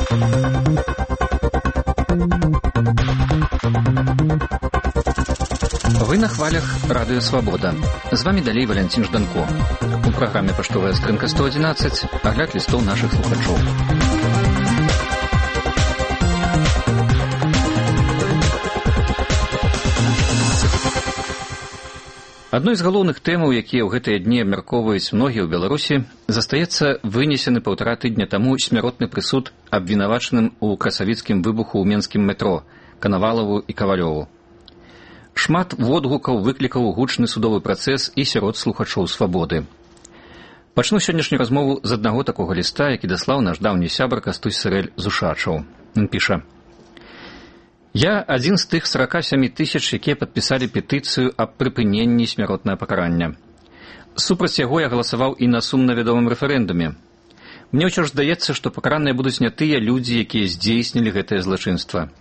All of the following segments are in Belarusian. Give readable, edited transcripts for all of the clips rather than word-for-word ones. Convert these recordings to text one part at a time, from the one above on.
Вы на хвалях Радыё Свабода. З вами далей Валянцін Жданко. У праграме «Паштовая скрынка 111» агляд лістоў нашых слухачоў. Адной з галоўных тэмаў, якія ў гэтыя дні абмяркоўваюць многія ў Беларусі, застаецца вынесены 1,5 тыдня таму смяротны прысуд абвінавачаным у красавіцкім выбуху ў менскім метро Канавалаву і Кавалёву. Шмат водгукаў выклікаў гучны судовы працэс і сярод слухачоў Свабоды. Пачну сённяшнюю размову з аднаго такога ліста, які даслаў наш даўні сябар Кастусь Сырэль з Ушачаў. Ён піша: «Я адзін з тых 47 000, якія падпісалі петыцыю аб прыпыненні смяротнага пакарання. Супраць яго я галасаваў і на сумна вядомым рэферэндуме. Мне ўсё ж здаецца, што пакараныя будуць не тыя людзі, якія здзейснілі гэтае злачынства.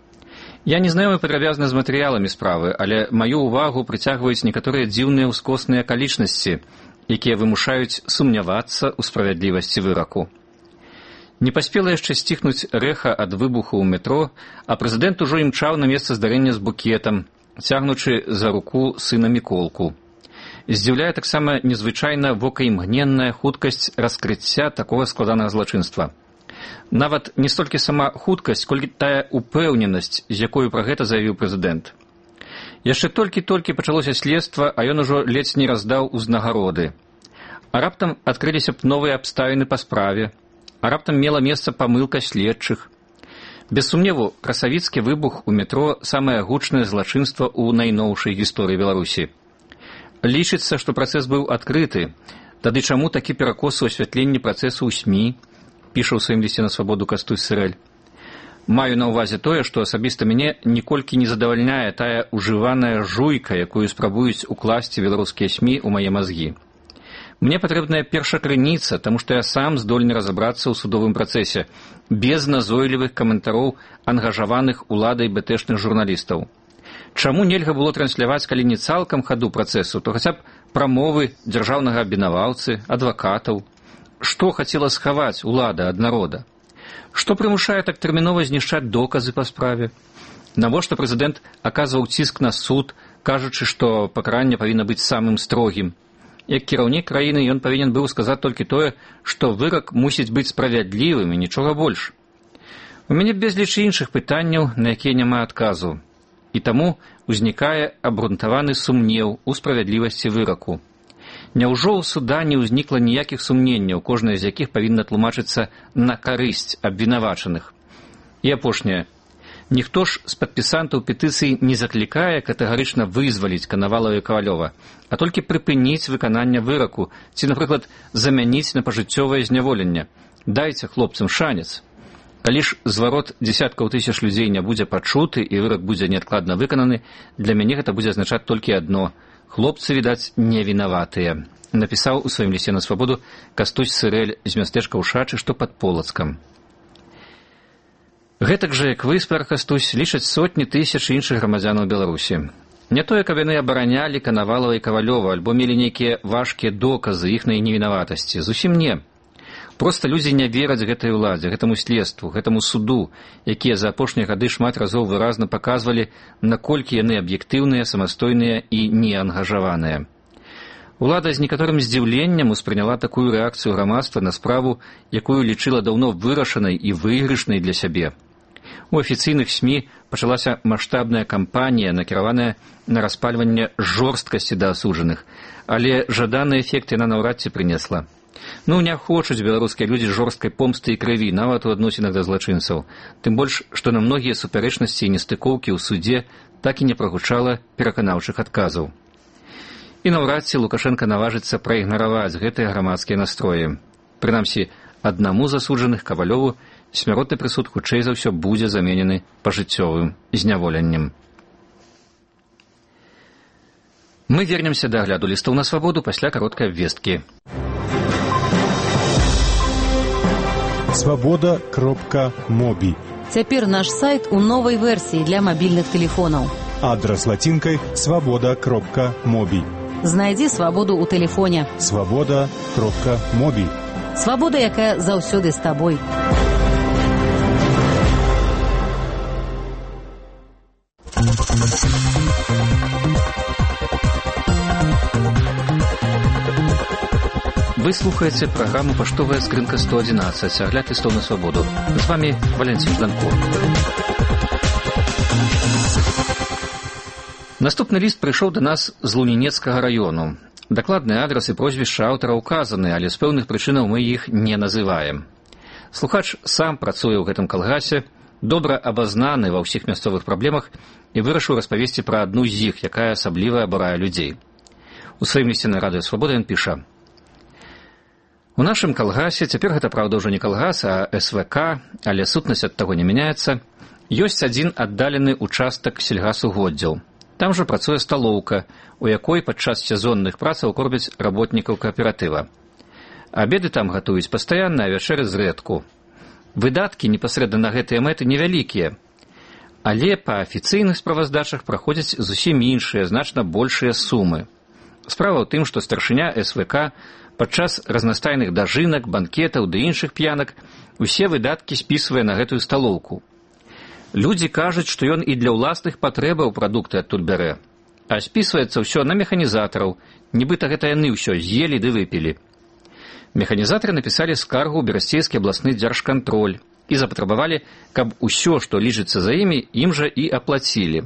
Я не знаёмы падрабязна з матэрыяламі справы, але маю ўвагу прыцягваюць некаторыя дзіўныя ўскосныя акалічнасці, якія вымушаюць сумнявацца ў справядлівасці выраку. Не паспела яшчэ сціхнуць рэха ад выбуху ў метро, а прэзідэнт ужо імчаў на месца здарэння з букетам, цягнучы за руку сына Міколку. Здзіўляе таксама незвычайна вокаімгненная хуткасць раскрыцця такога складанага злачынства. Нават не столькі сама хуткасць, колькі тая упэўненасць, з якою пра гэта заявіў прэзідэнт. Яшчэ толькі пачалося следства, а ён ужо ледзь не раздаў узнагароды. А раптам адкрыліся б новыя абставіны па справе, а раптам мела месца памылка следчых. Без сумневу, красавіцкі выбух у метро – самае гучнае злачынства ў найноўшай гісторыі Беларусі. Лічыцца, што працэс быў адкрыты. Тады чаму такі перакос у асвятленні працэсу ў СМІ? Піша ў сваім лісце на Свабоду Кастусь Сырэль. Маю на ўвазе тое, што асабіста мяне ніколькі не задавальняе тая ужываная жуйка, якую спрабуюць укласці беларускія СМІ ў мае мазгі. Мне патрэбная першакрыніца, таму што я сам здольны разабрацца ў судовым працэсе, без назойлівых каментароў ангажаваных уладай бэтэшных журналістаў. Чаму нельга было трансляваць, калі не цалкам хаду працэсу, то хаця б прамовы дзяржаўнага абвінаваўцы, адвакатаў? Што хацела схаваць улада ад народа? Што прымушае так тэрмінова знішчаць доказы па справе? Навошта прэзідэнт аказваў ціск на суд, кажучы, што пакаранне павінна быць самым строгім? Як кіраўнік краіны ён павінен быў сказаць толькі тое, што вырак мусіць быць справядлівым і нічога больш. У мяне безліч іншых пытанняў, на якія няма адказу. І таму ўзнікае абгрунтаваны сумнеў у справядлівасці выраку. Няўжо ў суда не ўзнікла ніякіх сумненняў, кожнае з якіх павінна тлумачыцца на карысць абвінавачаных? І апошняе. Ніхто ж з падпісантаў петыцыі не заклікае катэгарычна вызваліць Канавалава і Кавалёва, а толькі прыпыніць выкананне выраку ці, напрыклад, замяніць на пажыццёвае зняволенне. Дайце хлопцам шанец. Калі ж зварот дзесяткаў тысяч людзей не будзе пачуты і вырак будзе неадкладна выкананы, для мяне гэта будзе азначаць толькі адно – хлопцы, відаць, не вінаватыя. Напісаў у сваім лісце на Свабоду Кастусь Сырэль з мястэчка Ушачы, што пад Полацкам. Гэтак жа, як вы, спар Кастусь, лічаць сотні тысяч іншых грамадзянаў Беларусі. Не тое, каб яны абаранялі Канавалава і Кавалёва, альбо мелі нейкія важкія доказы іхнай невінаватасці. Зусім не. Проста людзі не вераць гэтай уладзе, гэтаму следству, гэтаму суду, якія за апошнія гады шмат разоў выразна паказвалі, наколькі яны аб'ектыўныя, самастойныя і неангажаваныя. Улада з некаторым здзіўленнем успрыняла такую рэакцыю грамадства на справу, якую лічыла даўно вырашанай і выйгрышнай для сябе. У афіцыйных СМІ пачалася маштабная кампанія, накіраваная на распальванне жорсткасці да асуджаных, але жаданы эфект яна наўрад ці прынесла. Не хочуць беларускія людзі жорсткай помсты і крыві, нават у адносінах да злачынцаў. Тым больш, што на многія супярэчнасці і нестыкоўкі ў судзе так і не прагучала пераканаўчых адказаў. І наўрад ці Лукашенка наважыцца праігнараваць гэтыя грамадскія настроі. Прынамсі, аднаму з асуджаных, Кавалёву, смяротны прысуд хутчэй за ўсё будзе заменены пажыццёвым зняволеннем. Мы вернемся да агляду лістоў на Свабоду пасля кароткай абвесткі. Свабода.моби. Цяпер наш сайт у новай версіі для мабільных тэлефонаў. Адрас лацінкай свабода.моби. Знайдзі свабоду ў тэлефоне. Свабода.моби. Свабода, якая заўсёды з табой. Вы слухаете программу «Поштовая скринка 111», огляд листов на свободу. С вами Валентин Жданко. Наступны ліст прыйшоў да нас з Лунінецкага раёну. Дакладны адрас і прозвішча аўтара ўказаны, але з пэўных прычынаў мы іх не называем. Слухач сам працуе ў гэтым калгасе, добра абазнаны ва ўсіх мясцовых праблемах і вырашыў распавесці пра адну з іх, якая асабліва абурае людзей. У сваім лісце на радыё «Свабода» ён піша: «У нашым калгасе, цяпер гэта, праўда, ўжо не калгас, а СВК, але сутнасць ад таго не мяняецца, ёсць адзін аддалены участак сельгасугоддзяў. Там жа працуе сталоўка, у якой падчас сезонных працаў кормяць работнікаў кааператыва. Абеды там гатуюць пастаянна, а вячэры зрэдку. Выдаткі непасрэдна на гэтыя мэты невялікія, але па афіцыйных справаздачах праходзяць зусім іншыя, значна большыя сумы. Справа ў тым, што старшыня СВК падчас разнастайных дажынак, банкетаў ды іншых п'янак усе выдаткі спісвае на гэтую сталоўку. Людзі кажуць, што ён і для ўласных патрэбаў прадукты адтуль бярэ, а спісваецца ўсё на механізатараў, нібыта гэта яны ўсё з'елі ды выпілі. Механізатары напісалі скаргу ў Берасцейскі абласны дзяржкантроль і запатрабавалі, каб усё, што лічыцца за імі, ім жа і аплацілі.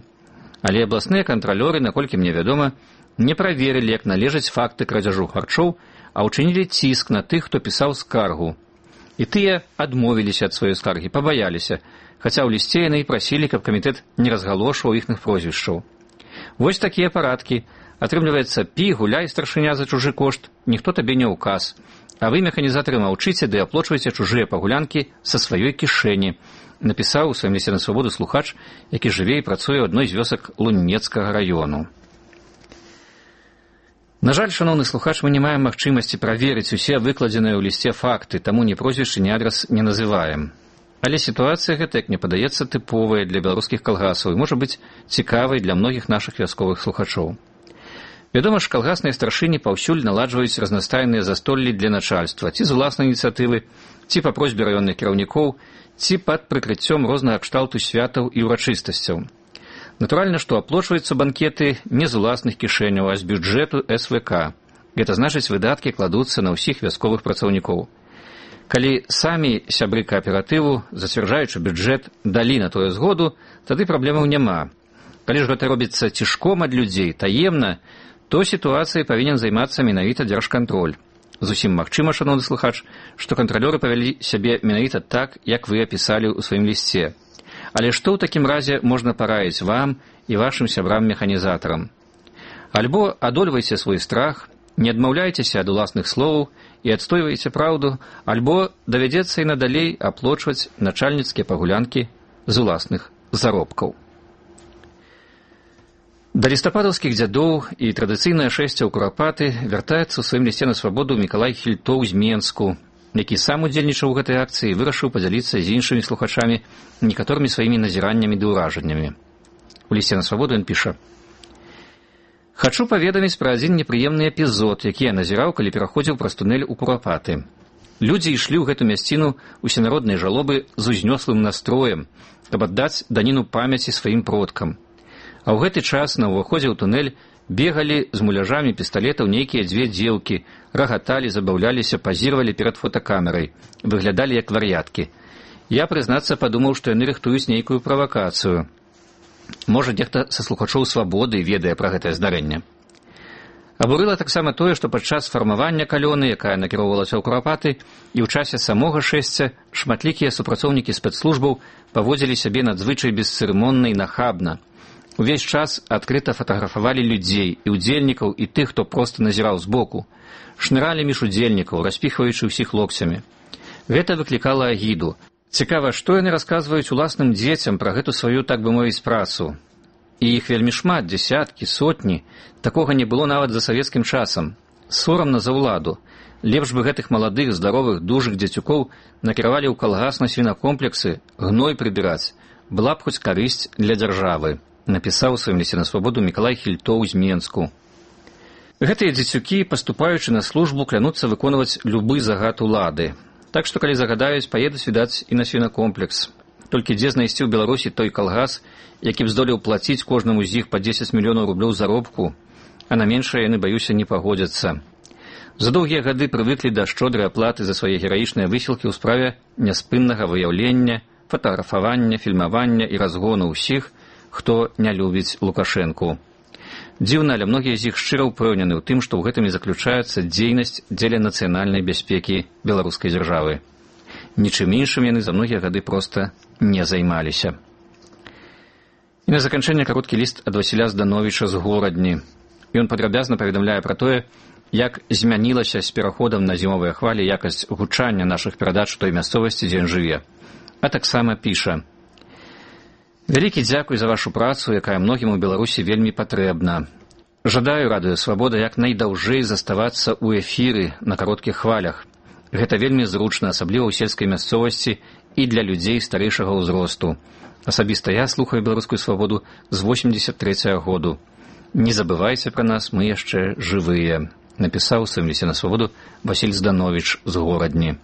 Але абласныя кантралёры, наколькі мне вядома, не праверылі, як належаць факты крадзяжу харчоў, а ўчынілі ціск на тых, хто пісаў скаргу. І тыя адмовіліся ад сваёй скаргі, пабаяліся, хаця ў лісце яны і прасілі, каб камітэт не разгалошваў іхных прозвішчаў. Вось такія парадкі. Атрымліваецца, пі, гуляй, старшыня, за чужы кошт, ніхто табе не ўказ. А вы, механізатары, маўчыце ды аплочваеце чужыя пагулянкі са сваёй кішэні, напісаў у сваім лісце на свабоду слухач, які жыве і працуе ў адной з вёсак Лунінецкага раёну. На жаль, шаноўны слухач, мы не маем магчымасці праверыць усе выкладзеныя ў лісце факты, таму ні прозвішчы, ні адрас не называем. Але сітуацыя гэта, як мне падаецца, тыповая для беларускіх калгасаў і можа быць цікавай для многіх нашых вясковых слухачоў. Вядома ж, калгасныя старшыні паўсюль наладжваюць разнастайныя застоллі для начальства, ці з уласнай ініцыятывы, ці па просьбе раённых кіраўнікоў, ці пад прыкрыццём рознага кшталту святаў і ўрачыстасцяў. Натуральна, што аплочваюцца банкеты не з уласных кішэняў, а з бюджэту СВК. Гэта значыць, выдаткі кладуцца на ўсіх вясковых працаўнікоў. Калі самі сябры кааператыву, зацвярджаючы бюджэт, далі на тое згоду, тады праблемаў няма. Калі ж гэта робіцца цішком ад людзей, таемна, то сітуацыяй павінен займацца менавіта дзяржкантроль. Зусім магчыма, шаноўны слухач, што кантралёры павялі сябе менавіта так, як вы апісалі ў сваім лісце. Але што ў такім разе можна параіць вам і вашым сябрам-механізатарам? Альбо адольвайце свой страх, не адмаўляйцеся ад уласных словаў і адстойвайце праўду, альбо давядзецца і надалей аплочваць начальніцкія пагулянкі з уласных заробкаў. Да лістападаўскіх дзядоў і традыцыйнае шэсце ў курапаты вяртаецца ў сваім лісце на свабоду Мікалай Хільтоў з Менску, які сам удзельнічаў у гэтай акцыі і вырашыў падзяліцца з іншымі слухачамі некаторымі сваімі назіраннямі ды ўражаннямі. У лісце на свабоду ён піша: «Хачу паведаміць пра адзін непрыемны эпізод, які я назіраў, калі пераходзіў праз тунэль у Курапаты. Людзі ішлі ў гэту мясціну усенароднай жалобы з узнёслым настроем, каб аддаць даніну памяці сваім продкам. А ў гэты час на ўваходзе ў тунэль бегалі з муляжамі пісталетаў нейкія дзве дзеўкі, рагаталі, забаўляліся, пазіравалі перад фотакамерай, выглядалі як вар'яткі. Я, прызнацца, падумаў, што яны рыхтуюць нейкую правакацыю. Можа, нехта са слухачоў свабоды ведае пра гэтае здарэнне. Абурыла таксама тое, што падчас фармавання калёны, якая накіроўвалася ў Курапаты, і ў часе самога шэсця шматлікія супрацоўнікі спецслужбаў паводзілі сябе надзвычай бесцырымонна і нахабна. Увесь час адкрыта фатаграфавалі людзей і удзельнікаў, і тых, хто проста назіраў збоку. Шныралі між удзельнікаў, распіхваючы ўсіх локцямі. Гэта выклікала агіду. Цікава, што яны расказваюць уласным дзецям пра гэту сваю, так бы мовіць, працу. І іх вельмі шмат, дзесяткі, сотні. Такога не было нават за савецкім часам. Сорамна за ўладу. Лепш бы гэтых маладых, здаровых, дужых дзецюкоў накіравалі ў калгас на свінакомплексы, гной прыбіраць. Была б хоць карысць для дзяржавы, напісаў у сваім лісце на свабоду Мікалай Хільтоў з Менску. Гэтыя дзецюкі, паступаючы на службу, клянуцца выконваць любы загад улады. Так што, калі загадаюць, паедуць, відаць, і на свінакомплекс. Толькі дзе знайсці ў Беларусі той калгас, які б здолеў плаціць кожнаму з іх па 10 мільёнаў рублёў заробку, а на меншае яны, баюся, не пагодзяцца. За доўгія гады прывыклі да шчодрай аплаты за свае гераічныя высілкі ў справе няспыннага выяўлення, фатаграфавання, фільмавання і разгону ўсіх, хто не любіць Лукашэнку. Дзіўна, але многія з іх шчыра ўпэўнены ў тым, што ў гэтым і заключаецца дзейнасць дзеля нацыянальнай бяспекі беларускай дзяржавы. Нічым іншым яны за многія гады проста не займаліся. І на заканчэнне кароткі ліст ад Васіля Здановіча з Горадні. Ён падрабязна паведамляе пра тое, як змянілася з пераходам на зімовыя хвалі якасць гучання нашых перадач у той мясцовасці, дзе ён жыве. А таксама піша: «Вялікі дзякуй за вашу працу, якая многім у Беларусі вельмі патрэбна. Жадаю радыё Свабода як найдаўжэй заставацца ў эфіры на кароткіх хвалях. Гэта вельмі зручна, асабліва ў сельскай мясцовасці і для людзей старэйшага ўзросту. Асабіста я слухаю беларускую свабоду з 83-го году. Не забывайце пра нас, мы яшчэ жывыя», напісаў у сваім лісце на свабоду Васіль Здановіч з Горадні.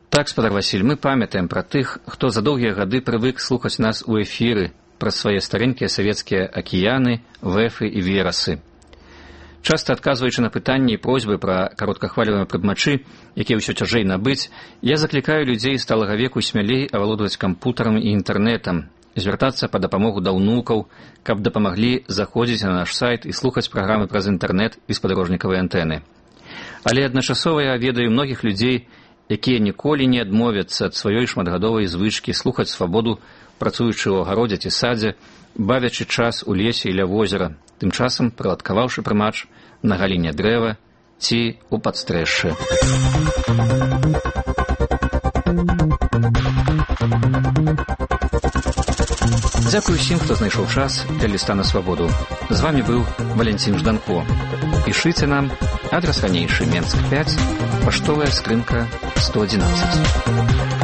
Так, спадар Васіль, мы памятаем пра тых, хто за доўгія гады прывык слухаць нас у эфіры праз свае старэнькія савецкія акіяны, вэфы і верасы. Часта адказваючы на пытанні і просьбы пра кароткахвалевыя прыдмачы, якія ўсё цяжэй набыць, я заклікаю людзей сталага веку смялей авалодваць кампутарам і інтэрнэтам, звяртацца па дапамогу да ўнукаў, каб дапамаглі заходзіць на наш сайт і слухаць праграмы праз інтэрнэт і спадарожнікавай антэны. Але адначасова я ведаю многіх людзей, якія ніколі не адмовяцца ад сваёй шматгадовай звычкі слухаць свабоду, працуючы ў агародзе ці садзе, бавячы час у лесе і ля возера, тым часам прыладкаваўшы прымач на галіне дрэва ці ў падстрэшшы. Дзякуй усім, хто знайшоў час для ліста на свабоду. З вамі быў Валянцін Жданко. Пішыце нам, адрас ранейшы, Менск 5, паштовая скрынка 111.